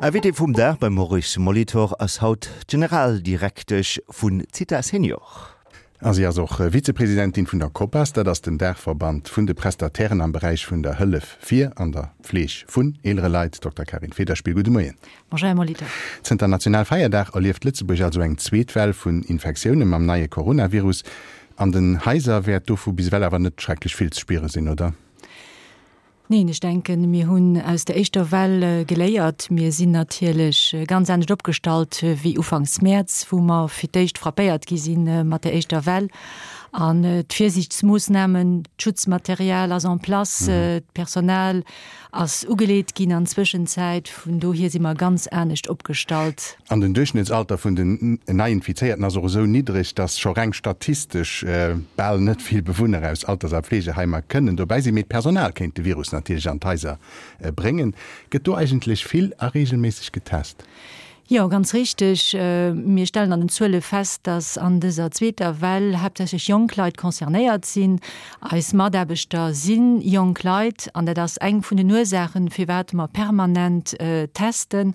Invité vum Dag beim Maurice Molitor ass haut d'Generaldirektesch vun Zitha Senior. A si ass och Vizepresidentin vun der COPAS, dat ass den Daachverband vun de Prestatairen am Beräich vun der Hëllef fir an der Fleeg vun eelere Leit. Dokter Karin Federspiel, gudde Moien. Bonjour, Här Molitor. Zënter Nationalfeierdag erlieft Lëtzebuerg also eng zweet Well vun Infektioune mam neie Coronavirus. An den Haiser wäert dovu bis ewell awer net schrecklech vill ze spiere sinn, oder? Neen, ech denken, mir hunn aus der éischter Well geléiert. Mir sinn natierlech ganz anescht opgestallt wéi ufanks Mäerz, wou mer fir d'éischt frappéiert gi si mat der éischter Well. An d'Virsiichtsmoossnamen, d'Schutzmaterial ass en place, d'Personal ass ugeleet ginn an Zwëschenzäit. Vun dohier si mer ganz anescht opgestallt. An den Duerchschnëttsalter vun den Neiinfizéierten ass och esou niddreg, datt scho reng statistesch bal net vill Bewunner aus Alters a Fleegeheimer kënnen dobäi sinn. Mee d'Personal kéint de Virus natierlech an d'Haiser bréngen. Gëtt do eigentlech vill a reegelméisseg getest? Jo, ganz richteg. Mir stellen an den Zuele fest, dass an dëser zweeter Well haaptsächlech jonk Leit concernéiert sinn. Eis Mataarbechter si jonk Leit an dat ass eng vun den Ursaachen, firwat mer permanent testen,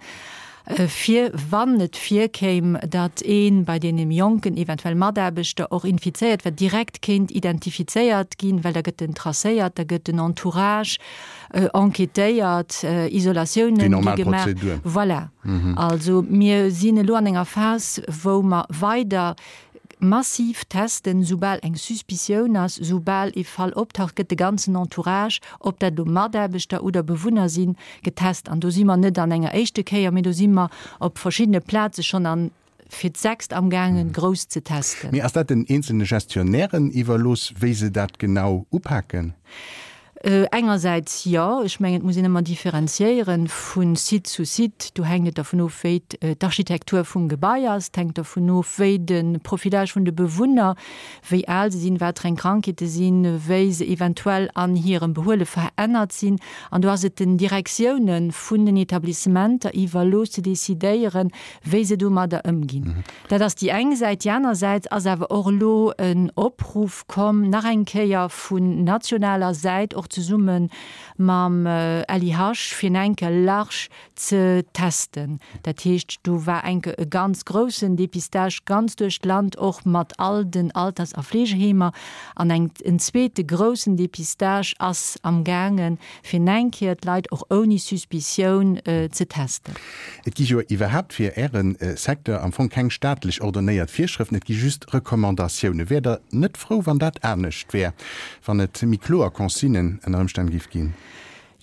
fir wann et virkéim, datt ee bei deene jonken eventuell Mataarbechter och infizéiert wär, direkt kéint identifizéiert ginn, well da gëtt en tracéiert, da gëtt den Entourage enquêtéiert, Isolatiounen gi gemaach. Voilà. Also mir sinn elo an enger Phas, wou mer weider massiv testen, soubal eng Suspicioun ass, soubal ee Fall optaucht, gëtt de ganzen Entourage, ob dat elo Mataarbechter oder Bewunner sinn, getest. An do si mer net an enger éischte Kéier, mee do si mer op verschiddene Plaze schonn an fir d'sechst amgaangen, grouss ze testen. Mee ass dat den eenzelne Gestionnairen iwwerlooss, wéi se dat genau upaken? Engersäits jo. Ech mengen, et muss een ëmmer differenziéieren vu Site zu Site. Do hänkt et dervun of, wéi d'Architektur vum Gebai ass. Et hänkt dervun of, wéi de Profilage vun de Bewunner, wéi al se sinn, wat fir eng Krankheete sinn, wéi se eventuell an hirem Behuele verännert sinn. An do ass et den Direktioune vun den Etablissementer iwwerlooss ze decidéieren, wéi se domadder ëmginn. Dat ass déi eng Säit. Déi aner Säit ass awer och elo en Opruff komm, nach eng Kéier vun nationaler Säit, och zesumme mam LIH, fir nach eng Kéier large ze testen. Dat heescht, do war eng Kéier e ganz groussen Dépistage ganz duerch d'Land, och mat all den Alters a Fleegeheemer. An eng, en zweete groussen Dépistage ass amgaangen, fir nach eng Kéier d'Leit och ouni Suspicioun ze testen. Et gi jo iwwerhaapt fir Äre Secteur am Fong keng staatlech ordonnéiert Virschrëften, et gi just Recommandatiounen. Wäert Der net frou, wann dat anescht wär, wann et méi kloer Consignen ënner Ëmstänn géif ginn?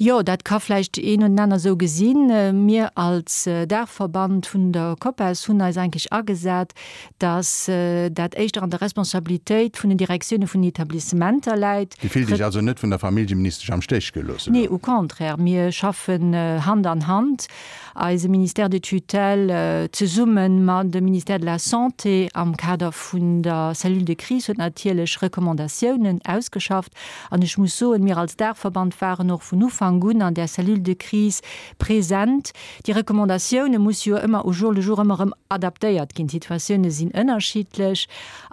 Jo, dat ka vläicht een oder den aner esou gesinn. Mir als Daachverband vun der COPAS hunn eis eigentlech agesat, datt dat éischter an der Responsabilitéit vun den Direktioune vun den Etablissementer läit. Dir fillt Iech also net vun der Familljeministesch am Stéch gelooss elo? Nee, au contraire, mir schaffen Hand an Hand, eise Ministère de tutelle zesumme mat dem Ministère de la Santé am Kader vun der Cellule de crise huet natierlech Recommandatiounen ausgeschafft. An ech muss soen, mir als Daachverband waren och vun Ufank un an där Cellule de crise present. Déi Recommandatioune musse jo ëmmer au jour le jour ëmmer erëm adaptéiert ginn. D'Situatioune sinn ënnerschiddlech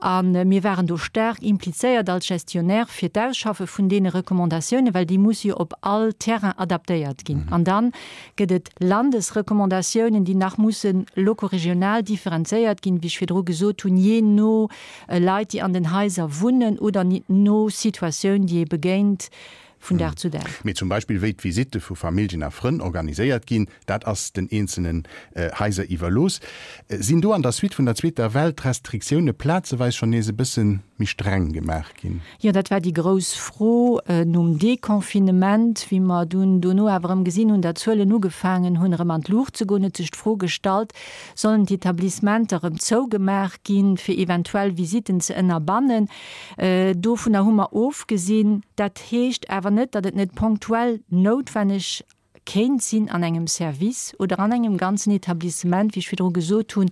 a mir waren do staark implizéiert als Gestionnaire fir d'Ausschaffe vun deene Recommandatiounen, well déi musse jo op all Terrain adaptéiert ginn. An da gëtt et Landesrecommandatiounen, déi nach musse locoregional differenzéiert ginn, wéi ech virdru gesot hunn, jee no Leit, déi an den Haiser wunnen oder no Situatioun, déi ee begéint. vun Dag zu Dag. Mee zum Beispill wéi d'Visitte vu Familljen a Frënn organiséiert ginn, dat ass den eenzelnen Haiser iwwerlooss. Sinn do an der Suite vun der zweeter Well d'Restriktioune plazeweis schonn nees e bësse méi streng gemaach ginn? Jo, dat war déi grouss Fro nom Deconfinement, wéi mer dunn dono awer erëm gesinn hunn, datt d'Zuelen ugefaangen hunn erëm an d'Luucht ze goen, huet sech d'Fro gestallt, Sollen d'Etablissementer erëm zougemaach ginn, fir eventuell Visitten ze ënnerbannen? Dovunner hu mer ofgesinn. Dat heescht awer net, datt et net ponktuell noutwenneg kéint sinn an engem Service oder an engem ganzen Etablissement, wéi ech virdru gesot hunn,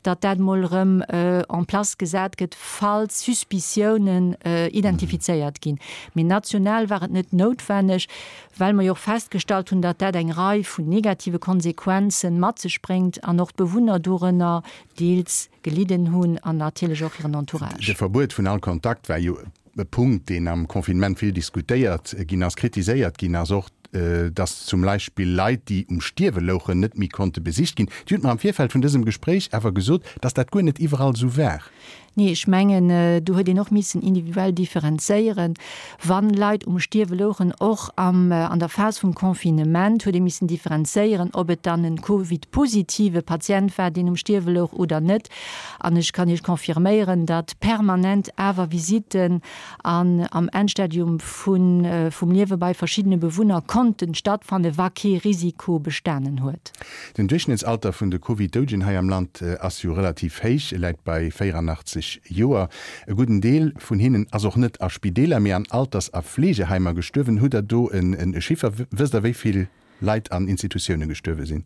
datt dat emol erëm en place gesat gëtt, falls Suspiciounen identifizéiert ginn. Mee national war et net noutwenneg, well mer jo och festgestallt hunn, datt dat eng Rei vun negative Konsequenze mat sech bréngt an och d'Bewunner dorënner deels gelidden hunn an natierlech och hiren Entourage. De Verbuet vun all Kontakt war jo e Punkt, deen am Confinement vill diskutéiert ginn ass, kritiséiert ginn ass och. Datt zum Beispill Leit, déi um Stierwe louchen, net méi konnte besicht ginn. Dir hutt mer am Virfeld vun dësem Gespréich awer gesot, datt dat guer net iwwerall esou war. Nee, ech mengen, do huet een och missen individuell differenzéieren. Wann Leit um Stierwe louchen, och am, an der Phas vum Confinement, huet ee missen differenzéieren, ob et dann en Covid-positive Patient war, deen um Stierwe louch oder net. An ech kann Iech confirméieren, datt permanent awer Visitten an am Endstadium vun, vum Liewe bei verschiddene Bewunner konnten stattfannen, wa kee Risiko bestanen huet. Den Duerchschnëttsalter vun de Covid-Doudegen hei am Land ass jo relativ héich, e läit bei 84 Joer. E gudden Deel vun hinnen ass och net a Spideeler, mee an Alters a Fleegeheimer gestuerwen. Hutt Der do e Chiffer? Wësst Der, wéi vill Leit an Institutioune gestuerwe sinn?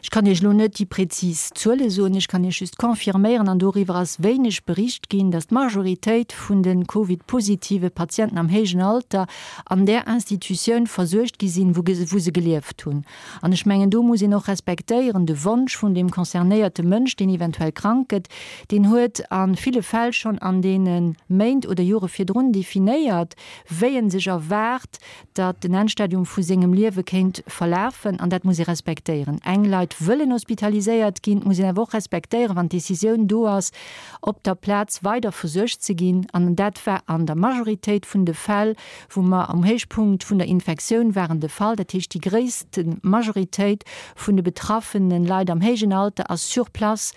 Ech kann Iech elo net déi prezis Zuele soen. Ech kann Iech just confirméieren, an doriwwer ass wéineg bericht ginn, datt d'Majoritéit vun de Covid-positive Patienten am héijen Alter an där Institutioun versuergt gi sinn, wou se gelieft hunn. An ech mengen, do muss een och respektéieren de Wonsch vun deem concernéierte Mënsch, deen eventuell krank gëtt, deen huet a ville Fäll schonn an deene Méint oder Jore virdrun definéiert, wéi en sech erwaart, datt den Endstadium vu sengem Liewe kéint verlafen. An dat muss ee respektéieren. Eng Leit wëllen hospitaliséiert ginn, et muss een awer och respektéieren, wann d'Decisioun do ass, op der Plaz weider versuergt ze ginn. An dat war an der Majoritéit vun de Fäll, wou mer um Héichpunkt vun der Infektioun waren, de Fall. Dat heescht, déi gréisste Majoritéit vun de betraffene Leit am héijen Alter ass sur place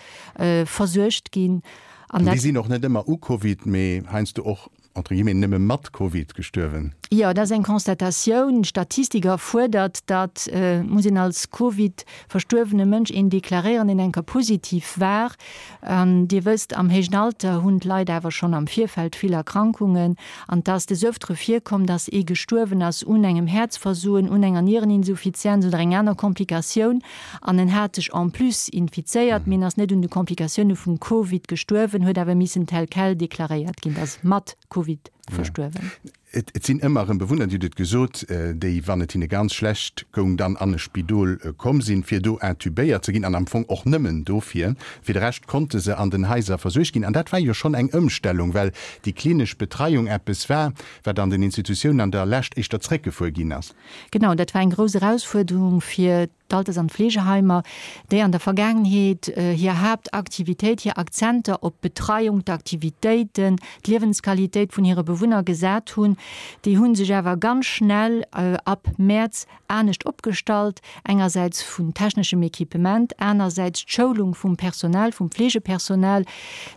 versuergt ginn. An déi sinn och net ëmmer u Covid, mee heiansdo och entre guillemets nëmme mat Covid gestuerwen. Jo, dat ass eng Constatatioun. D'Statistik erfuerdert, datt muss een als Covid-verstuerwene Mënsch een deklaréieren, deen eng Kéier positiv war. An Dir wësst, am héijen Alter hunn d'Leit awer schonn am Virfeld vill Erkrankungen. An 't ass des Öftere virkomm, dass ee gestuerwen ass un engem Häerzversoen, un enger Niereninsuffizienz oder eng aner Komplikatioun. An en hat sech en plus infizéiert, mee en ass net un de Komplikatioune vum Covid gestuerwen, huet awer missen tel quel deklaréiert ginn, dass mat Covid verstuerwen. Et sinn ëmmer erëm Bewunner, Dir hutt et gesot, déi, wann et hinne ganz schlecht goung, dann an e Spidol komm sinn, fir do intubéiert ze ginn, an am Fong och nëmmen dofir. Fir de Rescht konnte se an den Haiser versuergt ginn. An dat war jo schonn eng Ëmstellung, well déi klinesch Betreiung eppes war, wat an den Institutiounen an der Lescht éischter zréckgefuer ginn ass. Genau, dat war eng grouss Erausfuerderung fir d'Alters an Fleegeheimer, déi an der Vergaangenheet hir Haaptaktivitéit, hir Akzenter op d'Betreiung, d'Aktivitéiten, d'Liewensqualitéit vun hire Bewunner gesat hunn. Déi hu sech awer ganz schnell ab Mäerz anescht opgestallt, engersäits vun techneschem Equipement, anersäits d'Schoulung vum Personal, vum Fleegepersonal.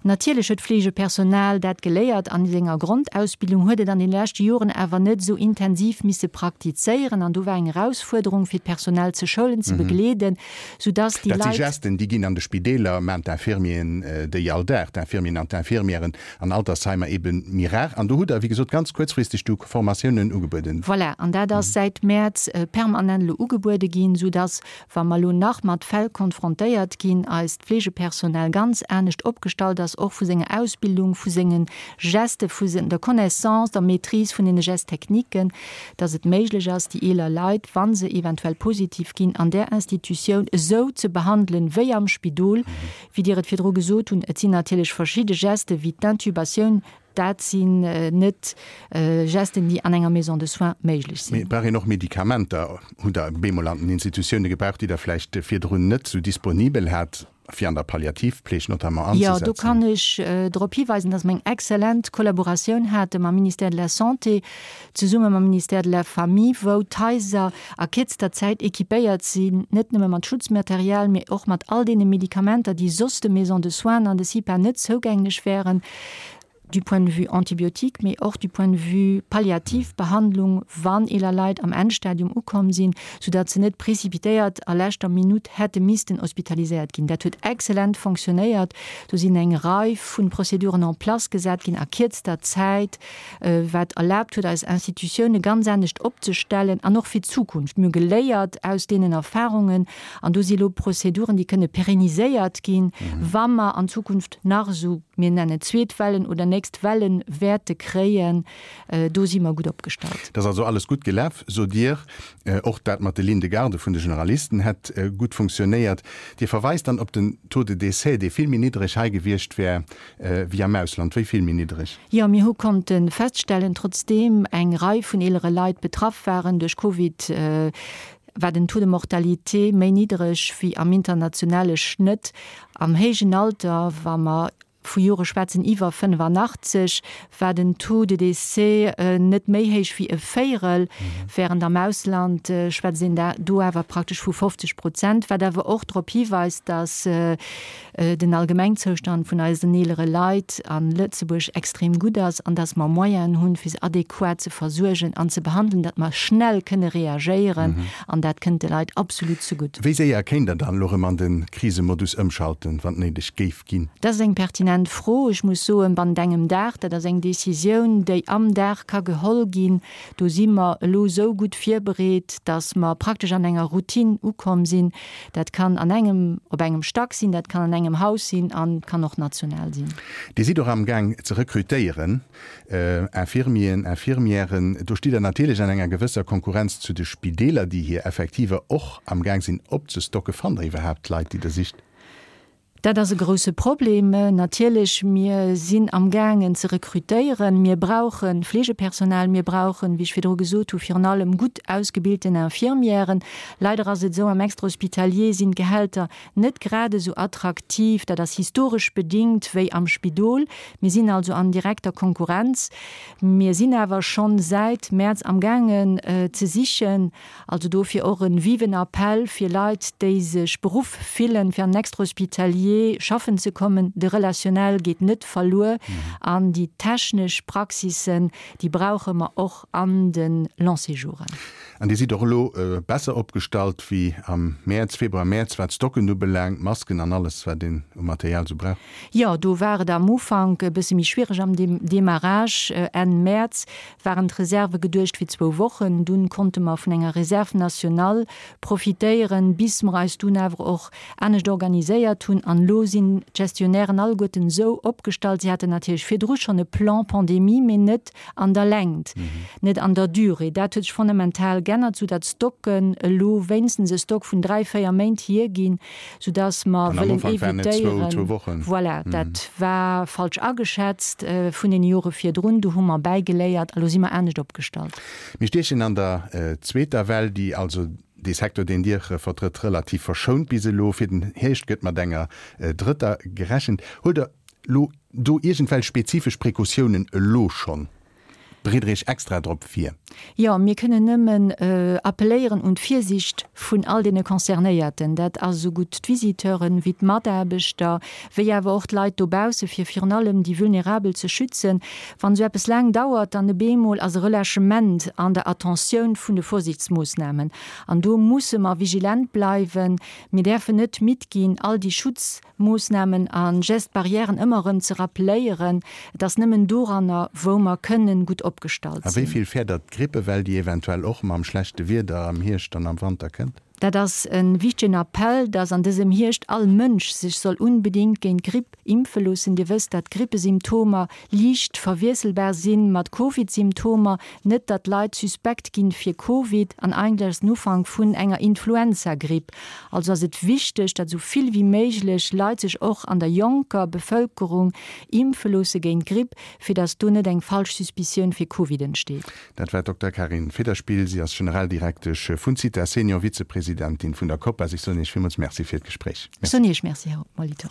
Natierlech huet d'Fleegepersonal dat geléiert an senger Grondausbildung, huet et an den leschte Joren awer net esou intensiv misse praktizéieren an do war eng Erausfuerderung fir d'Personal ze schoulen, ze begleeden, soudass déi Leit. Dat si Gesten, déi ginn an de Spideeler, maachen d'Infirmieren déi all Dag, d'Infirmieren an d'Infirmièren an Altersheimer ebe méi rar. An do hutt Der, wéi gesot, ganz kuerzfristeg du Formatiounen ugebueden. Voilà, an dat ass säit Mäerz permanent elo ugebuede ginn, soudass Wa mer elo nach mat Fäll konfrontéiert ginn, eist Fleegepersonal ganz anescht opgestallt ass, och vu senger Ausbildung, vu senge Geste, vu der Connaissance, der Maîtrise vun deene Gestes-techniquen, dass et méiglech ass, déi eeler Leit, wa se eventuell positiv ginn, an där Institutioun esou ze behandelen, wéi am Spidol. Wéi Dir et virdru gesot hunn, et sinn natierlech verschidde Geste wéi d'Intubatioun, Dat sinn net Gesten, déi an enger Maison de soins méiglech sinn. Mee et brauch een och Medikamenter. Hutt Der bemol an den Institutioune gebraucht, déi Der vläicht virdrun net esou disponibel hat, fir an der Palliativpfleg notamment anzesetzen? Jo, do kann ech drop hiweisen, dass mer eng exzellent Kollaboratioun hate mam Ministère de la Santé, zesumme mam Ministère de la Famille, wou d'Haiser a kierzter Zäit équipéiert sinn, net nëmme mat Schutzmaterial, mee och mat all deene Medikamenter, déi soss de Maisons de soins an de CIPA net zougänglech wären. du point de vue antibiotique, mee och du point de vue palliativ Behandlung, wann eeler Leit am Endstadium ukomm sinn, soudatt se net précipitéiert a leschter Minutt hätte missten hospitaliséiert ginn. Dat huet exzellent fonctionnéiert. Do sinn eng Rei vu Prozeduren en place gesat ginn a kierzter Zäit, wat erlaabt huet, eis Institutioune ganz anescht opzestellen an och fir d'Zukunft. Mir hu geléiert aus deenen Erfahrungen an do si elo Prozeduren, déi kënne pérenniséiert ginn, wa mer an Zukunft nach esou. Mir nennen et zweet Wellen oder nächst Wellen wäerte kréien, do si mer gutt opgestallt. Et ass also alles gutt gelaf, sot Dir. Och dat mat de Lignes de garde vun de Generalisten hätt gutt funktionéiert. Dir verweist dann op den Taux de décès, dee vill méi niddreg hei gewiescht wär wéi am Ausland. Wéi vill méi niddreg? Jo, mir hu konnte feststellen, trotzdeem eng Rei vun eelere Leit betraff waren duerch Covid, war den Taux de mortalité méi niddreg wéi am internationale Schnëtt. Am héijen Alter, wa mer vu Jore schwätzen iwwer 85, war den Taux de décès net méi héich wéi e Véierel, während am Ausland schwätzt een do awer praktesch vu 50 Prozent, wat awer och drop hiweist, dass den Allgemengzoustand vun eisen eelere Leit a Lëtzebuerg extrem gutt ass an dass mer Moyenen hunn, fir se adequat ze versuergen an ze behandelen, datt mer schnell kënne reagéieren an dat kënnt de Leit absolut zegutt. Wéi séier kéint Der dann elo erëm an de Krisemodus ëmschalten, wann et néideg géif ginn? Dat ass eng pertinent Fro. Ech muss soen, bannent engem Dag, dat ass eng Décisioun, déi am Dag ka geholl ginn. Do si mer elo esou gutt virbereet, dass mer praktesch an enger Routine ukomm sinn. Dat kann an engem, op engem Stack sinn, dat kann an engem Haus sinn an kann och national sinn. Dir sidd och amgaang ze rekrutéieren, Infirmieren, Infirmièren. Do stitt Der natierlech an enger gewësser Konkurrenz zu de Spideeler, déi hir Effektiver och amgaang sinn opzestocken. Fannt Der iwwerhaapt d'Leit, déi Der sicht? Dat ass e grousse Problem natierlech. Mir sinn amgaangen ze rekrutéieren. Mir brauche Fleegepersonal, mir brauchen, wéi ech virdru gesot hu, virun allem gutt ausgebilten Infirmièren. Leider ass et esou, am Extra-hospitalier sinn d'Gehälter net grad esou attraktiv, dat ass historesch bedingt, wéi am Spidol. Mir sinn also an direkter Konkurrenz. Mir sinn awer schonn säit Mäerz amgaangen ze sichen. Also dofir och e viven Appell fir Leit, déi sech beruff fillen, fir an den Extra-hospitalier schaffen ze kommen. De Relationnel geet net verluer an déi technesch Praxissen, déi brauche mer och an de Long-séjouren. An Dir sidd och elo besser opgestallt wéi am Mäerz, Februar, Mäerz, wat d'Stocken ubelaangt, d'Masken an alles, wat een u Material esou brauch? Jo, do war et am Ufank e bësse méi schwiereg am Demarrage Enn Mäerz. waren d'Reserve geduecht fir zwou Wochen. Dunn konnte mer vun enger Réserve nationale profitéieren, bis mer eis dunn awer och anescht organiséiert hunn. An elo sinn d'Gestionnairen alleguerten esou opgestallt, si haten natierlech virdru schonn e Plan pandémie, mee net an der Längt, net an der Durée. Dat huet sech fondamental g'ännert, soudatt d'Stocken elo wéinstens e Stock vun dräi, véier Méint hierginn. soudass mer wëllen évitéieren, voilà, dat war falsch ageschätzt vun den Jore virdrun, do hu mer bäigeléiert a lo si mer anescht opgestallt. Mir stiechen an der zweeter Well, déi also dee Secteur, deen Dir vertrëtt, relativ verschount bis elo. Fir den Hierscht gëtt mat enger drëtter gerechent. Huelt Der elo do iergendwelch spezifesch Precautiounen elo schonn? Bereet Der Iech extra drop vir? Jo, mir kënnen nëmmen appelléieren un d'Virsicht vun all deene Concernéierten. Dat ass esou gutt d'Visiteuren, wéi d'Mataarbechter, wéi awer och d'Leit dobausse, fir virun allem déi Vulnerabel ze schützen. Wann esou eppes laang dauert, dann op eemol ass e Relâchement an der Attentioun vun de Vorsichtsmoossnamen. An do musse mer vigilent bleiwen. Mir däerfen net midd ginn, all déi Schutz. Moossnamen a Gestes barrièren ëmmer erëm ze rappeléieren. Et ass nëmmen doranner, wou mer kënnen gutt opgestallt A wéi sinn. vill fäert Der d'Grippewell, déi eventuell och mam schlechte Wieder am Hierscht an am Wanter kënnt? Dat ass e wichtegen Appell, dass an dësem Hierscht all Mënsch sech soll unbedingt géint d'Gripp impfe loossen. Dir wësst, dat d'Grippesymptomer liicht verwiesselbar si mat Covid-Symptomer. Net datt d'Leit suspekt ginn fir Covid an eigentlech ass den Ufank vun enger Influenza-Gripp. Also ass et wichteg, datt esou vill wéi méiglech Leit sech och an der jonker Bevëlkerung impfe loosse géint d'Gripp, fir datt do net eng falsch Suspicioun fir Covid entsteet. Dat war d'Dokter Karin Federspiel. Si ass Generaldirektesch vun Zitha Senior, Vizepresidentin vun der COPAS. Ech soen Iech villmools Merci fir d'Gespréich. Ech soen Iech Merci, Här Molitor.